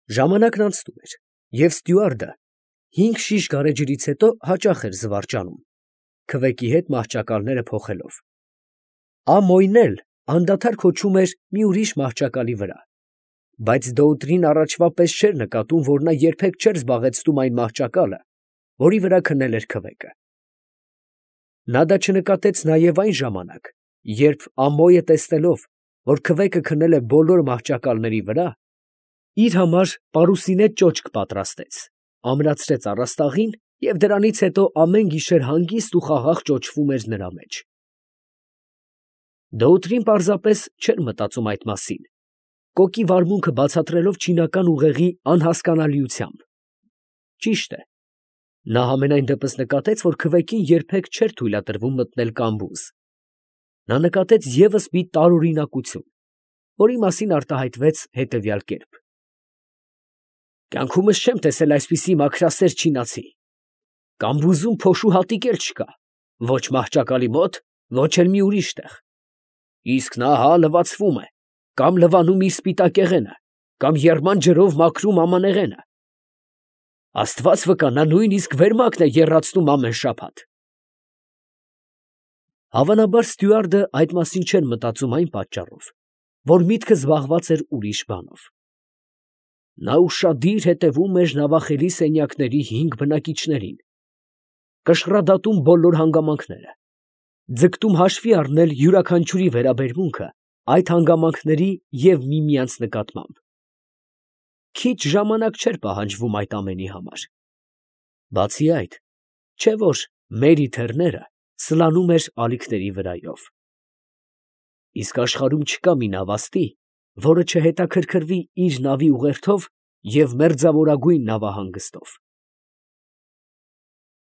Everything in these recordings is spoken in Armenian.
Ժամանակն անցնում էր, և ստյուարդը 5 շիշ գարեջրից հետո հաճախ էր զվարճանում, քվեկի հետ մահճակալները փոխելով. Ամոյն էլ անդադար քոչում էր մի ուրիշ մահճակալի վրա, բայց Դոուտրին առաջվա պես չէր նկատում, որ նա երբեք չէր զբաղեցնում այն մահճակալը, որի վրա քնել էր քվեկը. նա դա չնկատեց նաև այն ժամանակ, երբ Ամոյը տեսնելով, որ քվեկը քնել է բոլոր մահճակալների վրա, իր համար պարուսինե ճոճք պատրաստեց, ամրացրեց առաստաղին և դրանից հետո ամեն գիշեր հանգիստ ու խաղաղ ճոճվում էր նրա մեջ։ Դոուտրին պարզապես չէր մտածում այդ մասին, կոկի վարմունքը բացատրելով չինական ուղեղի անհասկանալիությամբ։ Ճիշտ է, նա համենայն դեպս նկատեց, որ քվեկին երբեք չէր թույլատրվում մտնել կամբուզ. նա նկատեց ևս մի տարօրինակություն, որի մասին արտահայտվեց հետևյալ կերպ. «Կյանքումս չեմ տեսել այսպիսի մաքրասեր չինացի. կամբուզում փոշու հատիկ էլ չկա, ոչ մահճակալի մոտ, ոչ էլ մի ուրիշ տեղ. իսկ նա հա լվացվում է, կամ լվանում իր սպիտակեղենը, կամ եռման ջրով մաքրում ամանեղենը. Աստված վկա, նա նույնիսկ վերմակն է եռացնում ամեն շաբաթ»։ Հավանաբար ստյուարդը այդ մասին չէր մտածում այն պատճառով, որ միտքը զբաղված էր ուրիշ բանով. նա ուշադիր հետևում էր նավախելի սենյակների 5 բնակիչներին, կշռադատում բոլոր հանգամանքները, ձգտում հաշվի առնել յուրաքանչյուրի վերաբերմունքը այդ հանգամանքների և միմյանց նկատմամբ։ Քիչ ժամանակ չէր պահանջվում այդ ամենի համար։ Բացի այդ, չէ՞ որ Մերի Թեռները սլանում էր ալիքների վրայով։ Իսկ աշխարհում չկա մի նավաստի, որը չհետաքրքրվի իր նավի ուղերձով և մերձավորագույն նավահանգստով։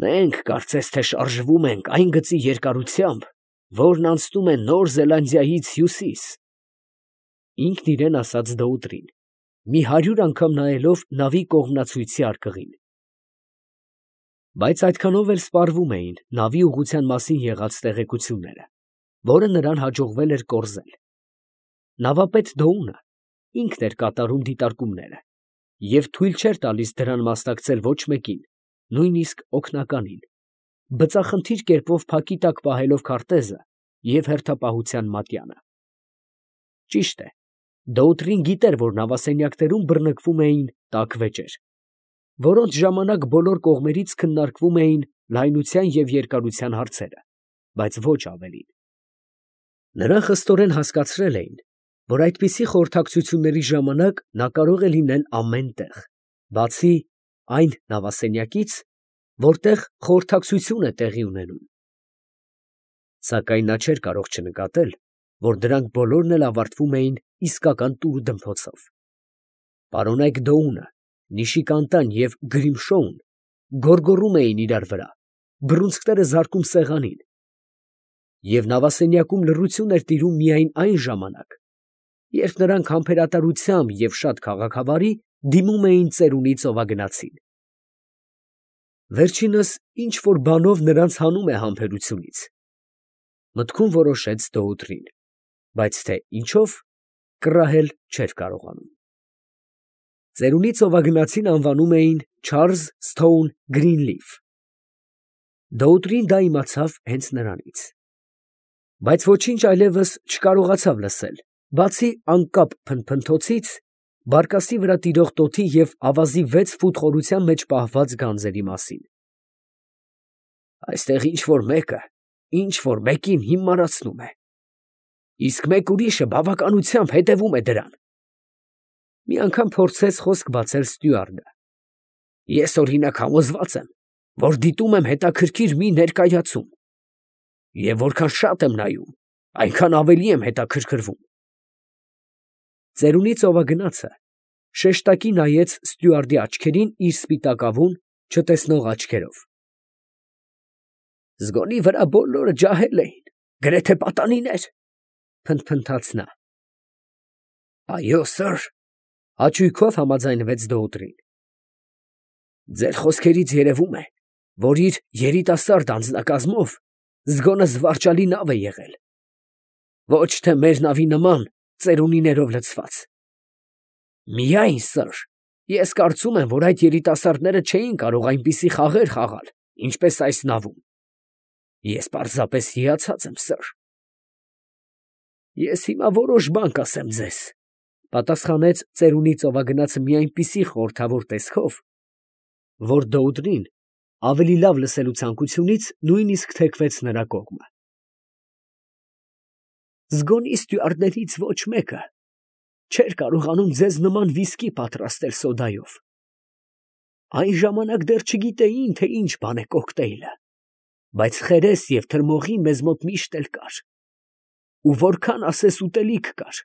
«Մենք կարծես թե շարժվում ենք այն գծի երկարությամբ, որն անցնում է Նոր Զելանդիայից հյուսիս», ֊ ինքն իրան ասաց Դոուտրին, մի 100 անգամ նայելով նավի կողմնացույցի արկղին։ Բայց այդքանով էլ սպառվում էին նավի ուղղության մասին եղած տեղեկությունները, որը նրան հաջողվել էր կորզել։ Նավապետ Դոունը ինքն էր կատարում դիտարկումները և թույլ չէր տալիս դրան մասնակցել ոչ մեկին, նույնիսկ օգնականին, բծախնդիր կերպով փակի տակ պահելով քարտեզը և հերթապահության մատյանը։ Ճիշտ է, Դոուտրին գիտեր, որ նավասենյակներում բռնկվում էին տաք վեճեր, որոնց ժամանակ բոլոր կողմերից քննարկվում էին լայնության և երկարության հարցերը, բայց ոչ ավելին։ Նրան խստորեն հասկացրել էին, որ այդպիսի խորհրդակցությունների ժամանակ նա կարող է լինել ամեն տեղ, բացի այն նավասենյակից, որտեղ խորհրդակցություն է տեղի ունենում։ Սակայն նա չէր կարող չնկատել, որ դրանք բոլորն էլ ավարտվում էին իսկական տուր֊դմփոցով։ Պարոնայք Դոունը, Նիշիկանտան և Գրիմշոուն գոռգոռում էին իրար վրա, բռունցքները զարկում սեղանին, և նավասենյակում լռություն էր տիրում միայն այն ժամանակ, երբ նրանք համբերատարությամբ և շատ քաղաքավարի դիմում էին ծերունի ծովագնացին։ Վերջինս ինչ֊որ բանով նրանց հանում է համբերությունից, մտքում որոշեց Դոուտրին, բայց թե ինչով, կռահել չէր կարողանում։ Ծերունի ծովագնացին անվանում էին Չարլզ Սթոուն Գրինլիֆ։ Դոուտրին դա իմացավ հենց նրանից, բայց ոչինչ այլևս չկարողացավ լսել, բացի անկապ փնթփնթոցից, բարկասի վրա տիրող տոթի և ավազի 6 ֆուտ խորության մեջ պահված գանձերի մասին։ «Այստեղ ինչ֊որ մեկին հիմարացնում է, իսկ մեկ ուրիշը բավականությամբ հետևում է դրան», ֊ մի անգամ փորձեց խոսք բացել ստյուարդը։ «Ես օրինակ համոզված եմ, որ դիտում եմ հետաքրքիր մի ներկայացում, և որքան շատ եմ նայում, այնքան ավելի եմ հետաքրքրվում»։ Ծերունի ծովագնացը շեշտակի նայեց ստյուարդի աչքերին իր սպիտակավուն, չտեսնող աչքերով։ «Զգոնի վրա բոլորը ջահել էին, գրեթե պատանիներ», ֊ փնթփնթաց նա։ «Այո, սըր», ֊ հաճույքով համաձայնվեց Դոուտրին։ «Ձեր խոսքերից երևում է, որ իր երիտասարդ անձնակազմով զգոնը զվարճալի նավ է եղել, ոչ թե մեր նավի նման ծերունիներով լցված։ Միայն, սըր, Ես կարծում եմ, որ այդ երիտասարդները չէին կարող այնպիսի խաղեր խաղալ, ինչպես այս նավում։ Ես պարզապես հիացած եմ, սըր։ Ես հիմա որոշ բան կասեմ ձեզ, պատասխանեց ծերունի ծովագնացը մի այնպիսի խորհրդավոր տեսքով, որ Դոուդրին ավելի լավ լսելու ցանկությունից նույնիսկ թեքվեց նրա կողմը։ Զգոնի ստյուարդներից ոչ մեկը չէր կարողանում ձեզ նման վիսկի պատրաստել սոդայով։ Այն ժամանակ դեռ չգիտեին, թե ինչ բան է կոկտեյլը, բայց խերես և թրմողի մեզ մոտ միշտ էլ կար։ Ու որքան ասես ուտելիք կար,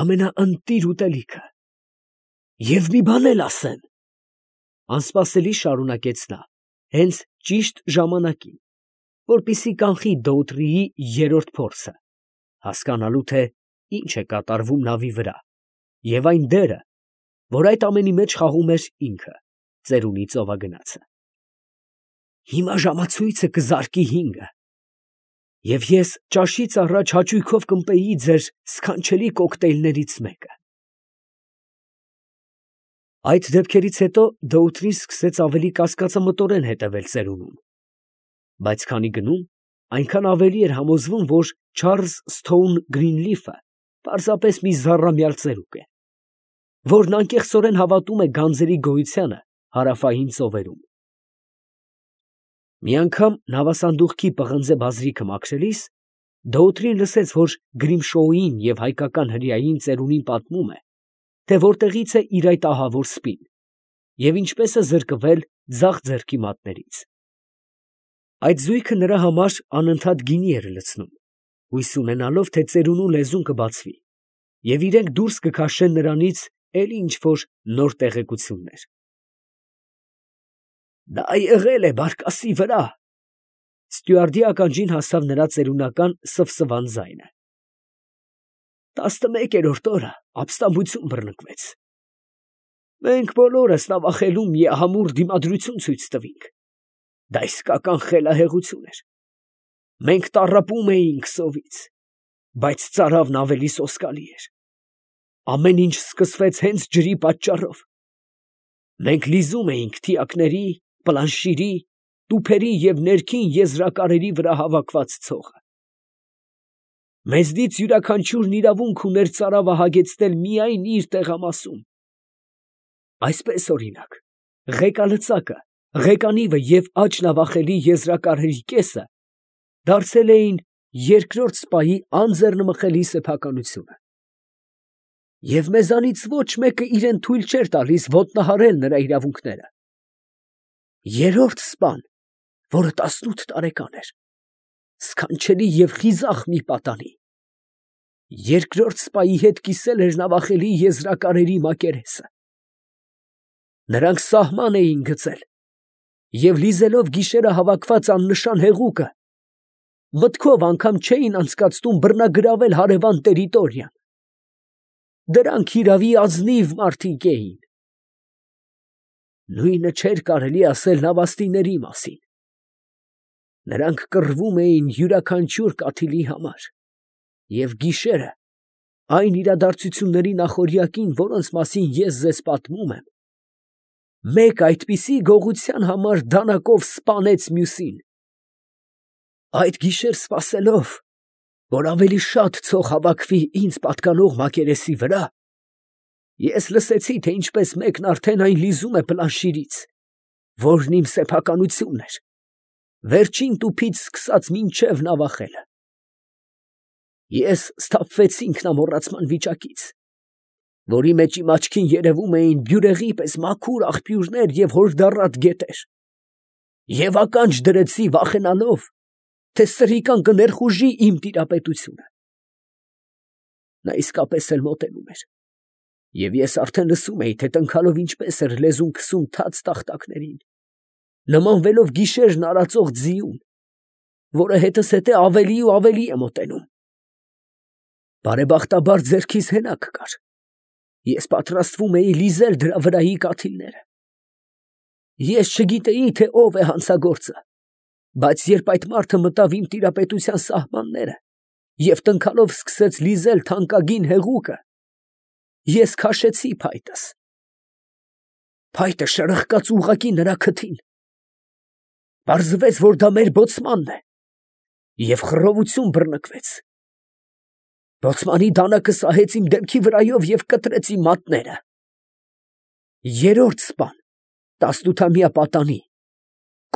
ամենաընտիր ուտելիքը։ Եվ մի բան էլ ասեմ, անսպասելի շարունակեց նա, հենց ճիշտ ժամանակին, որպեսզի կանխի Դոուտրիի երրորդ փորձը, հասկանալու թե ինչ է կատարվում նավի վրա, և այն դերը, որ այդ ամենի մեջ խաղում էր ինքը, ծերունի ծովագնացը։ Հիմա ժամացույցը կզարկի 5-ը, և ես ճաշից առաջ հաճույքով կմպեի ձեր սքանչելի կոկտեյլներից մեկը։ Այդ դեպքերից հետո Դոուտրին սկսեց ավելի կասկածամտորեն հետևել ծերունուն, բայց քանի գնում, այնքան ավելի էր համոզվում, որ Չարլզ Սթոուն Գրինլիֆը պարզապես մի զառամյալ ծերուկ է, որն անկեղծորեն հավատում է գանձերի գոյությանը հարավային ծովերում։ Մի անգամ նավասանդուղքի պղնձե բազրիքը մաքրելիս, Դոուտրին լսեց, որ Գրիմշոուին և հայկական հրեային ծերունին պատմում է, թե որտեղից է իր այդ ահավոր սպին, և ինչպես է զրկվել ձախ ձեռքի մատներից։ Այդ զույգը նրա համար անընդհատ գինի էր լցնում, հույս ունենալով, թե ծերունու լեզուն կբացվի, և իրենք դուրս կքաշեն նրանից էլի ինչ֊որ նոր տեղեկություններ։ Դա եղել է բարկասի վրա։ Ստյուարդի ականջին հասավ նրա ծերունական սվսվան ձայնը։ 11-րդ օրը ապստամբություն բռնկվեց։ Մենք բոլորս նավախելում միահամուռ դիմադրություն ցույց տվինք։ Դա իսկական խելահեղություն էր։ Մենք տառապում էինք սովից, բայց ծարավն ավելի սոսկալի էր։ Ամեն ինչ սկսվեց հենց ջրի պատճառով։ Մենք լիզում էինք թիակների, պլանշիրի, տուփերի և ներքին եզրակարերի վրա հավաքված ցողը։ Մեզնից յուրաքանչյուրն իրավունք ուներ ծարավը հագեցնել միայն իր տեղամասում։ Այսպես, օրինակ, ղեկալծակը, ղեկանիվը և աջ նավախելի եզրակարերի կեսը դարձել էին երկրորդ սպայի անձեռնմխելի սեփականությունը։ Եվ մեզանից ոչ մեկը իրան թույլ չէր տալիս ոտնահարել նրա իրավունքները։ Երրորդ սպան, որը 18 տարեկան էր, սքանչելի և խիզախ մի պատանի, երկրորդ սպայի հետ կիսել էր նավախելի եզրակարերի մակերեսը։ Նրանք սահման էին գծել և լիզելով գիշերը հավաքված աննշան հեղուկը, մտքով անգամ չէին անցկացնում բռնագրավել հարևան տերիտորիան։ Դրանք հիրավի ազնիվ մարդիկ էին։ Նույնը չէր կարելի ասել նավաստիների մասին։ Նրանք կռվում էին յուրաքանչյուր կաթիլի համար, և գիշերը, այն իրադարձությունների նախօրյակին, որոնց մասին ես ձեզ պատմում եմ, մեկ այդպիսի գողության համար դանակով սպանեց մյուսին։ Այդ գիշեր սպասելով, որ ավելի շատ ցող հավաքվի ինձ պատկանող մակերեսի վրա, ես լսեցի, թե ինչպես մեկն արդեն այն լիզում է պլանշիրից, որն իմ սեփականությունն էր, վերջին տուփից սկսած մինչև նավախելը։ Ես սթափվեցի ինքնամոռացման վիճակից, որի մեջ իմ աչքին երևում էին բյուրեղի պես մաքուր աղբյուրներ և հորդառատ գետեր, և ականջ դրեցի վախենալով, թե սրիկան կներխուժի իմ տիրապետությունը։ Նա իսկապես էլ մոտենում էր, և ես արդեն լսում էի, թե տնքալով ինչպես էր լեզուն քսում թաց տախտակներին, նմանվելով գիշերն արածող ձիուն, որը հետզհետե ավելի ու ավելի է մոտենում։ Բարեբախտաբար ձեռքիս հենակ կար։ Ես պատրաստվում էի լիզել դրա վրայի կաթիլները։ Ես չգիտեի, թե ով է հանցագործը, բայց երբ այդ մարդը մտավ իմ տիրապետության սահմանները և տնքալով սկսեց լիզել թանկագին հեղուկը, ես քաշեցի փայտս։ Փայտը շրխկաց ուղղակի նրա քթին։ Պարզվեց, որ դա մեր բոցմանն է, և խռովություն բռնկվեց։ Բոցմանի դանակը սահեց իմ դեմքի վրայով և կտրեց իմ մատները։ Երրորդ սպան, 18-ամյա պատանի,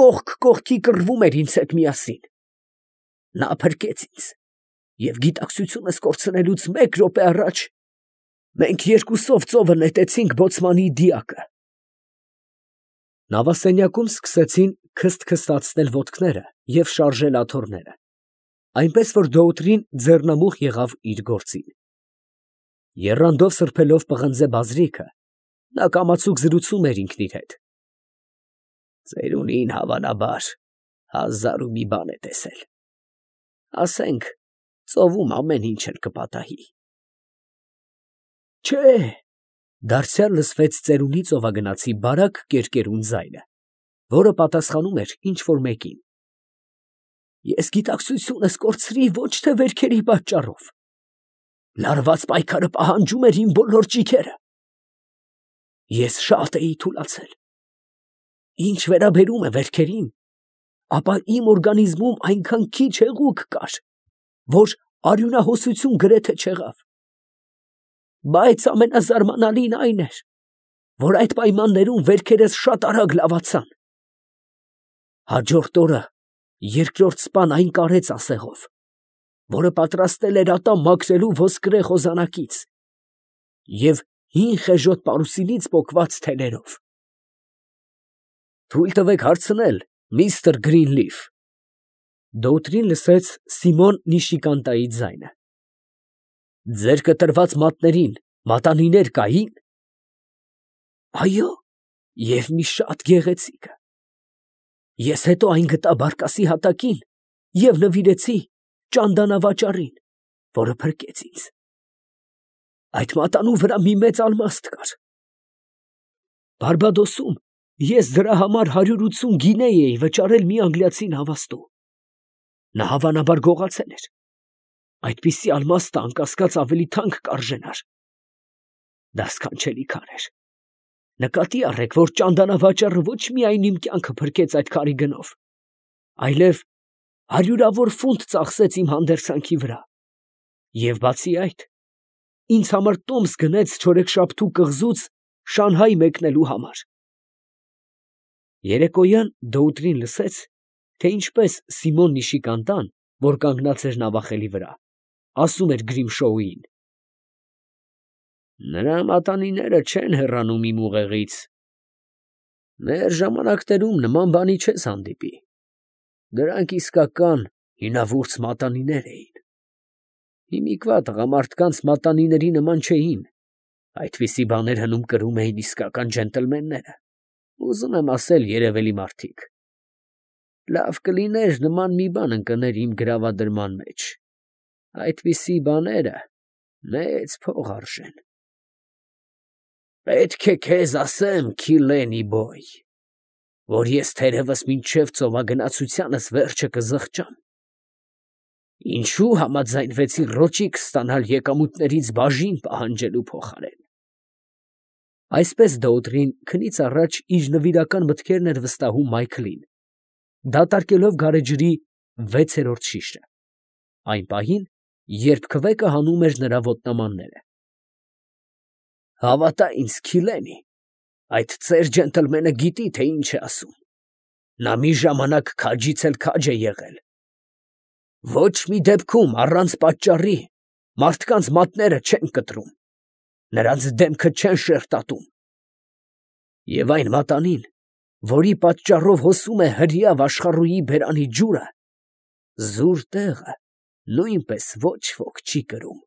կողք կողքի կռվում էր ինձ հետ միասին։ Նա փրկեց ինձ, և գիտակցությունս կորցնելուց 1 րոպե առաջ մենք երկուսով ծովը նետեցինք բոցմանի դիակը։ Նավասենյակում սկսեցին քսթքստացնել ոտքները և շարժել աթոռները, այնպես որ Դոուտրին ձեռնամուխ եղավ իր գործին։ Եռանդով սրբելով պղնձե բազրիքը, նա կամացուկ զրուցում էր ինքն իր հետ։ Ծերունին հավանաբար 1000 ու մի բան է տեսել։ Ասենք, ծովում ամեն ինչ էլ կպատահի։ Չէ, դարձյալ լսվեց ծերունի ծովագնացի բարակ կերկերուն ձայնը, որը պատասխանում էր ինչ֊որ մեկին։ Ես գիտակցությունս կորցրի ոչ թե վերքերի պատճառով։ Լարված պայքարը պահանջում էր իմ բոլոր ճիգերը։ Ես շատ էի թուլացել։ Ինչ վերաբերում է վերքերին, ապա իմ օրգանիզմում այնքան քիչ հեղուկ կար, որ արյունահոսություն գրեթե չեղավ։ Բայց ամենազարմանալին այն էր, որ այդ պայմաններում վերքերս շատ արագ լավացան։ Հաջորդ օրը երկրորդ սպան այն կարեց ասեղով, որը պատրաստել էր ատամ մաքրելու ոսկրե խոզանակից և հին խեժոտ պարուսինից պոկված թելերով։ Թույլ տվեք հարցնել, միստր Գրինլիֆ։ Դոուտրին լսեց Սիմոն Նիշիկանտայի ձայնը։ Ձեր կտրված մատներին մատանիներ կային։ Այո, և մի շատ գեղեցիկը։ Ես հետո այն գտա բարկասի հատակին և նվիրեցի ճանդանավաճառին, որը փրկեց ինձ։ Այդ մատանու վրա մի մեծ ալմաստ կար։ Բարբադոսում ես դրա համար 180 գինեյ էի վճարել մի անգլիացի նավաստու։ Նա հավանաբար գողացել էր։ Այդպիսի ալմաստը անկասկած ավելի թանկ կարժենար։ Դա սքանչելի քար էր։ Նկատի առեք, որ ճանդանավաճառը ոչ միայն իմ կյանքը փրկեց այդ քարի գնով, այլև հարյուրավոր ֆունտ ծախսեց իմ հանդերձանքի վրա, և բացի այդ, ինձ համար տոմս գնեց չորեքշաբթու կղզուց Շանհայ մեկնելու համար։ Երեկոյան Դոուտրին լսեց, թե ինչպես Սիմոն Նիշիկանտան, որ կանգնած էր նավախելի վրա, ասում էր Գրիմշոուին. Նրա մատանիները չեն հեռանում իմ ուղեղից։ Մեր ժամանակներում նման բանի չես հանդիպի։ Դրանք իսկական հինավուրց մատանիներ էին։ Հիմիկվա տղամարդկանց մատանիների նման չէին։ Այդպիսի բաներ հնում կրում էին իսկական ջենտլմենները։ Ուզում եմ ասել, երևելի մարդիկ։ Լավ կլիներ նման մի բան ընկներ իմ գրավադրման մեջ։ Այդպիսի բաները մեծ փող արժեն։ Պետք է քեզ ասեմ, Քիլենի բոյ, որ ես թերևս մինչև ծովագնացությանս վերջը կզղջամ։ Ինչու համաձայնվեցի ռոճիկ ստանալ եկամուտներից բաժին պահանջելու փոխարեն։ Այսպես Դոուտրին քնից առաջ իր նվիրական մտքերն էր վստահում Մայքլին, դատարկելով գարեջրի 6-րդ շիշը, այն պահին, երբ քվեկը հանում էր նրա ոտնամանները։ Հավատա ինձ, Քիլենի, այդ ծեր ջենտլմենը գիտի, թե ինչ է ասում։ Նա մի ժամանակ քաջից էլ քաջ է եղել։ Ոչ մի դեպքում առանց պատճառի մարդկանց մատները չեն կտրում, նրանց դեմքը չեն շերտատում։ Եվ այն մատանին, որի պատճառով հոսում է հրեա աշխարհուհի բերանի ջուրը, զուր տեղը նույնպես ոչ ոք չի կրում։